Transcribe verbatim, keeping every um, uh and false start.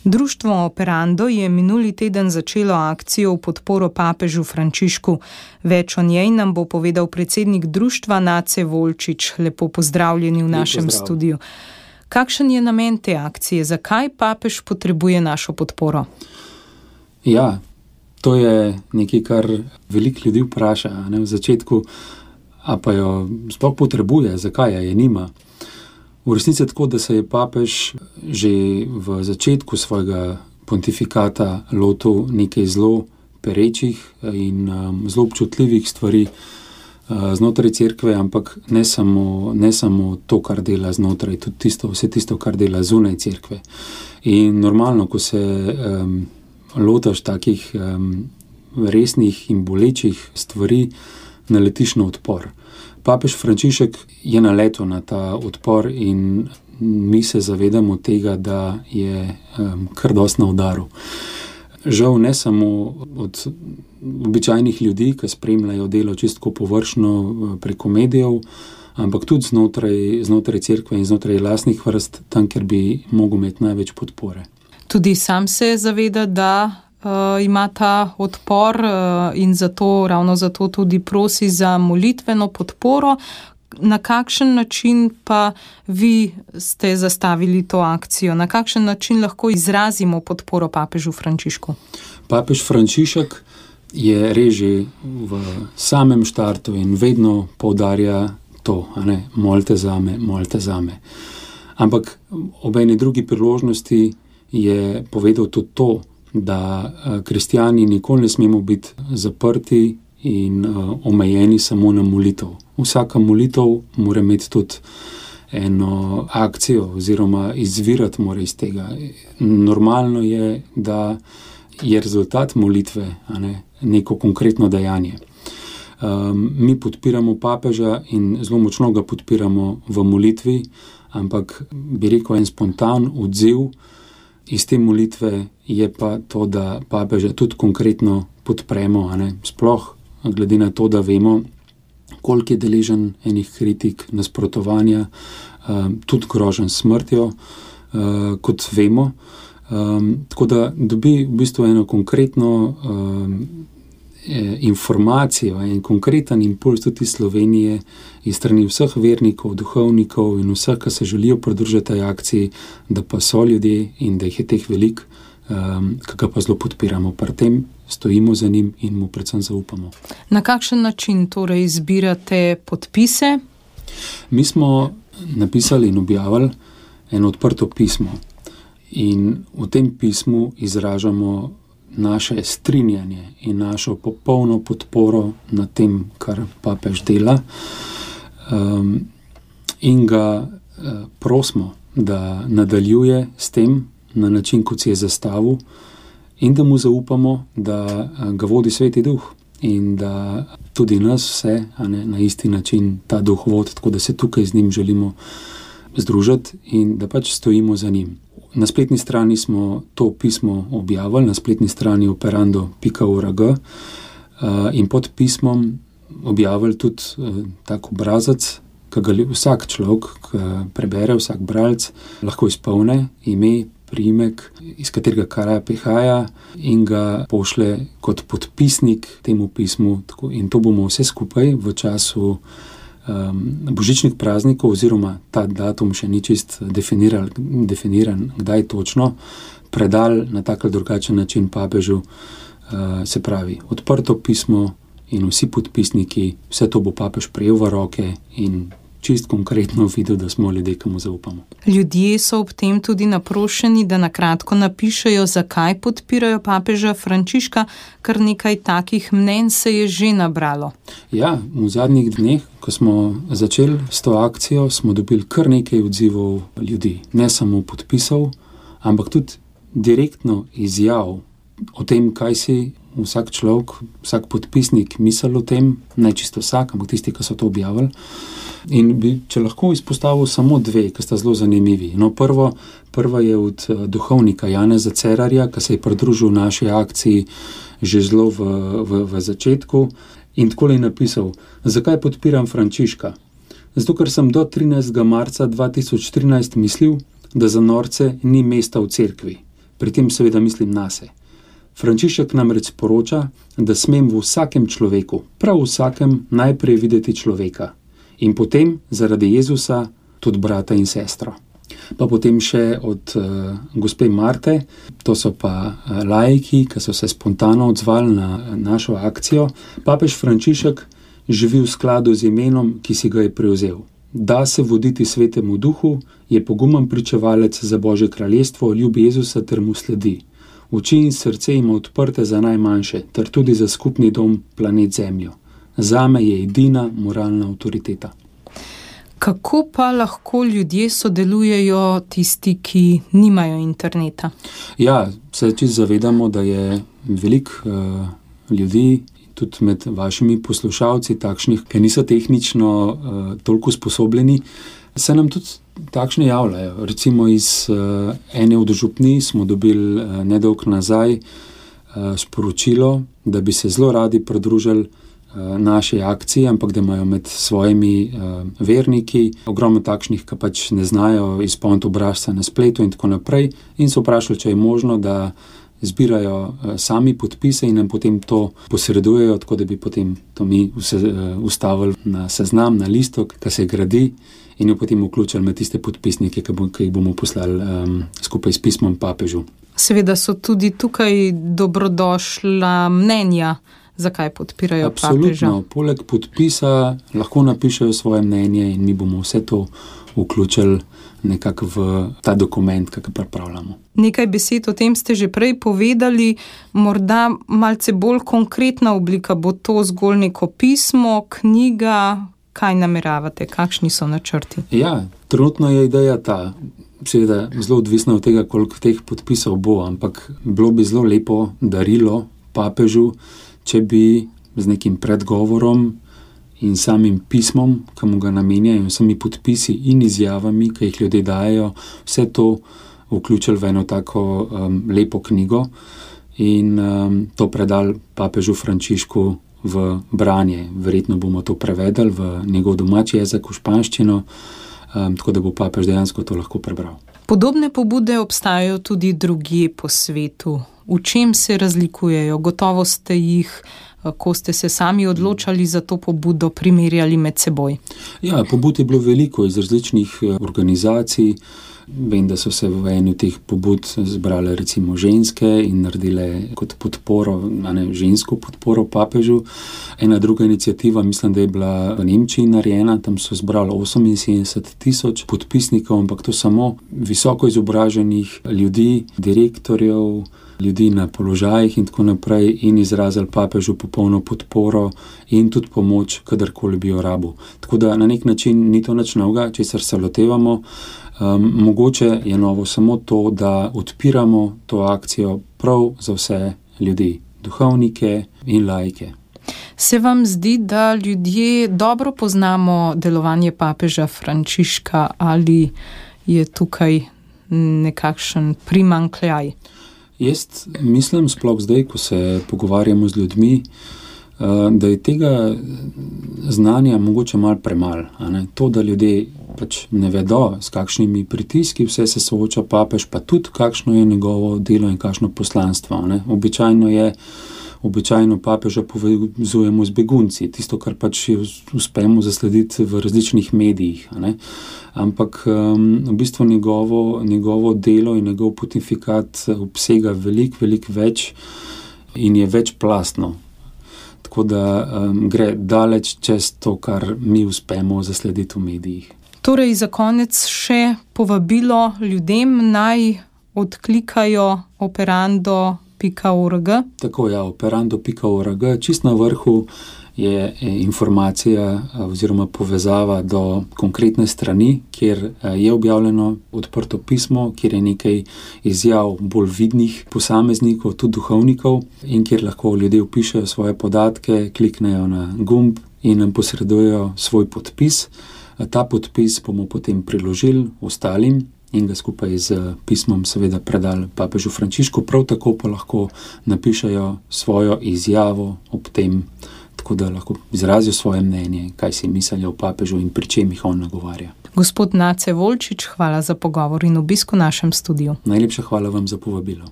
Društvo Operando je minuli teden začelo akcijo v podporo papežu Frančišku. Več o njej nam bo povedal predsednik društva Nace Volčič. Lepo pozdravljeni v našem Pozdrav. studiu. Kakšen je namen te akcije? Zakaj papež potrebuje našo podporo? Ja, to je nekaj, kar veliko ljudi vpraša, ne, v začetku, a pa jo sploh potrebuje, zakaj je nima. V resnici je tako, da se je papež že v začetku svojega pontifikata lotil nekaj zelo perečih in um, zelo občutljivih stvari uh, znotraj cerkve, ampak ne samo, ne samo to, kar dela znotraj, tudi tisto, vse tisto, kar dela zunaj cerkve. In normalno, ko se um, lotaš takih um, resnih in bolečih stvari, naletiš na odpor. Papež Frančišek je naletel na ta odpor in mi se zavedamo tega, da je um, kar dosti na udaru. Žal ne samo od običajnih ljudi, ki spremljajo delo čistko površno preko medijev, ampak tudi znotraj, znotraj cerkve in znotraj lastnih vrst, tam, kjer bi mogel imeti največ podpore. Tudi sam se zaveda, da Uh, ima ta odpor uh, in zato, ravno zato tudi prosi za molitveno podporo. Na kakšen način pa vi ste zastavili to akcijo? Na kakšen način lahko izrazimo podporo papežu Frančišku? Papež Frančišek je reži v samem štartu in vedno poudarja to, a ne, molite zame, molite zame. Ampak ob eni drugi priložnosti je povedal tudi to, da kristjani nikoli ne smemo biti zaprti in uh, omejeni samo na molitev. Vsaka molitev mora imeti tudi eno akcijo oziroma izvirati mora iz tega. Normalno je, da je rezultat molitve, a ne, neko konkretno dejanje. Um, mi podpiramo papeža in zelo močno ga podpiramo v molitvi, ampak bi rekel en spontan odziv iz te molitve je pa to, da papeža tudi konkretno podpremo, a ne, sploh glede na to, da vemo, koliko je deležen enih kritik, nasprotovanja, um, tudi groženj s smrtjo, uh, kot vemo. Um, tako da dobi v bistvu eno konkretno um, informacijo in konkreten impuls tudi iz Slovenije, iz strani vseh vernikov, duhovnikov in vseh, ki se želijo pridružiti tej akciji, da pa so ljudje in da jih je teh veliko, um, ki ga pa zelo podpiramo. Pri tem stojimo za njim in mu predvsem zaupamo. Na kakšen način torej zbirate podpise? Mi smo napisali in objavili eno odprto pismo in v tem pismu izražamo naše strinjanje in našo popolno podporo na tem, kar papež dela, um, in ga uh, prosimo, da nadaljuje s tem na način, kot si je zastavil, in da mu zaupamo, da uh, ga vodi Sveti Duh in da tudi nas vse, a ne, na isti način ta Duh vodi, tako da se tukaj z njim želimo združiti in da pač stojimo za njim. Na spletni strani smo to pismo objavili, na spletni strani operando pika org, uh, in pod pismom objavili tudi uh, tak obrazac, ki ga vsak človek, ki prebere, vsak bralec, lahko izpolne ime, priimek, iz katerega kraja prihaja in ga pošle kot podpisnik temu pismu. Tako, in to bomo vse skupaj v času Um, božičnih praznikov, oziroma ta datum še ni čist definiran, definiran, kdaj točno, predal na tak ali drugačen način papežu, uh, se pravi, odprto pismo in vsi podpisniki, vse to bo papež prejel v roke in čist konkretno videl, da smo ljudje, ki mu zaupamo. Ljudje so ob tem tudi naprošeni, da na kratko napišejo, zakaj podpirajo papeža Frančiška, kar nekaj takih mnenj se je že nabralo. Ja, v zadnjih dneh, ko smo začeli s to akcijo, smo dobili kar nekaj odzivov ljudi. Ne samo podpisov, ampak tudi direktno izjav o tem, kaj si vsak človek, vsak podpisnik misel o tem, ne čisto vsak, ampak tisti, ki so to objavili. In bi, če lahko izpostavil samo dve, ki sta zelo zanimivi. No, prvo, prva je od duhovnika Janeza Cerarja, ki se je pridružil naši akciji že zelo v, v, v začetku in takole je napisal: zakaj podpiram Frančiška? Zato, ker sem do trinajstega marca dva tisoč trinajst mislil, da za norce ni mesta v cerkvi. Pri tem seveda mislim nase. Frančišek namreč sporoča, da smem v vsakem človeku, prav vsakem, najprej videti človeka in potem zaradi Jezusa tudi brata in sestro. Pa potem še od uh, gospe Marte, to so pa uh, laiki, ki so se spontano odzvali na našo akcijo. Papež Frančišek živi v skladu z imenom, ki si ga je prevzel. Da se voditi svetemu duhu, je pogumen pričevalec za Božje kraljestvo, ljubi Jezusa ter mu sledi. Oči in srce ima odprte za najmanjše, ter tudi za skupni dom, planet Zemljo. Zame je edina moralna avtoriteta. Kako pa lahko ljudje sodelujejo, tisti, ki nimajo interneta? Ja, se čisto zavedamo, da je veliko uh, ljudi, tudi med vašimi poslušalci, takšnih, ki niso tehnično uh, toliko sposobljeni, se nam tudi takšne javljajo. Recimo iz uh, ene od župnij smo dobili uh, nedolgo nazaj uh, sporočilo, da bi se zelo radi pridružili naše akcije, ampak da imajo med svojimi uh, verniki ogromno takšnih, ki pač ne znajo izpolniti obrazca na spletu in tako naprej, in so vprašali, če je možno, da zbirajo uh, sami podpise in nam potem to posredujejo, tako da bi potem to mi vse uh, ustavili na seznam, na listok, ki se gradi, in jo potem vključili med tiste podpisnike, ki, bo, ki jih bomo poslali um, skupaj s pismom papežu. Seveda so tudi tukaj dobrodošla mnenja, zakaj podpirajo Absolutno. papeža. Poleg podpisa lahko napišejo svoje mnenje in mi bomo vse to vključili nekako v ta dokument, ki ga pripravljamo. Nekaj besed o tem ste že prej povedali, morda malce bolj konkretna oblika, bo to zgolj neko pismo, knjiga, kaj nameravate, kakšni so načrti? Ja, trenutno je ideja ta, seveda zelo odvisna od tega, koliko teh podpisov bo, ampak bilo bi zelo lepo darilo papežu, če bi z nekim predgovorom in samim pismom, ki mu ga namenjajo, vsemi podpisi in izjavami, ki jih ljudje dajo, vse to vključili v eno tako um, lepo knjigo in um, to predali papežu Frančišku v branje. Verjetno bomo to prevedali v njegov domači jezik, v španščino, um, tako da bo papež dejansko to lahko prebral. Podobne pobude obstajajo tudi drugje po svetu. V čem se razlikujejo? Gotovo ste jih, ko ste se sami odločali za to pobudo, primerjali med seboj. Ja, pobud je bilo veliko iz različnih organizacij. Vem, da so se v eni teh pobud zbrale recimo ženske in naredile kot podporo, a ne, žensko podporo papežu. Ena druga iniciativa, mislim, da je bila v Nemčiji narejena, tam so zbrali oseminsedemdeset tisoč podpisnikov, ampak to samo visoko izobraženih ljudi, direktorjev, ljudi na položajih in tako naprej, in izrazili papežu popolno podporo in tudi pomoč, kadarkoli bi jo rabil. Tako da na nek način ni to nič novega, česar se lotevamo. Um, mogoče je novo samo to, da odpiramo to akcijo prav za vse ljudi, duhovnike in laike. Se vam zdi, da ljudje dobro poznamo delovanje papeža Frančiška ali je tukaj nekakšen primanjkljaj? Jaz mislim, sploh zdaj, ko se pogovarjamo z ljudmi, da je tega znanja mogoče malo premalo. To, da ljudje pač ne vedo, s kakšnimi pritiski vse se sooča papež, pa tudi kakšno je njegovo delo in kakšno poslanstvo. Ne? Običajno je, običajno papeža povezujemo z begunci, tisto, kar pač uspemo zaslediti v različnih medijih. Ne? Ampak um, v bistvu njegovo, njegovo delo in njegov pontifikat obsega veliko, veliko več in je večplastno. Tako da um, gre daleč čez to, kar mi uspemo zaslediti v medijih. Torej, za konec še povabilo ljudem naj odklikajo operando pika org. Tako, ja, operando pika org. Čist na vrhu je informacija oziroma povezava do konkretne strani, kjer je objavljeno odprto pismo, kjer je nekaj izjav bolj vidnih posameznikov, tudi duhovnikov, in kjer lahko ljudje vpišejo svoje podatke, kliknejo na gumb in nam posredujejo svoj podpis. Ta podpis bomo potem priložili ostalim in ga skupaj z pismom seveda predali papežu Frančišku, prav tako pa lahko napišejo svojo izjavo ob tem, tako da lahko izrazijo svoje mnenje, kaj si mislijo o papežu in pri čem jih on nagovarja. Gospod Nace Volčič, hvala za pogovor in obisk v našem studiu. Najlepša hvala vam za povabilo.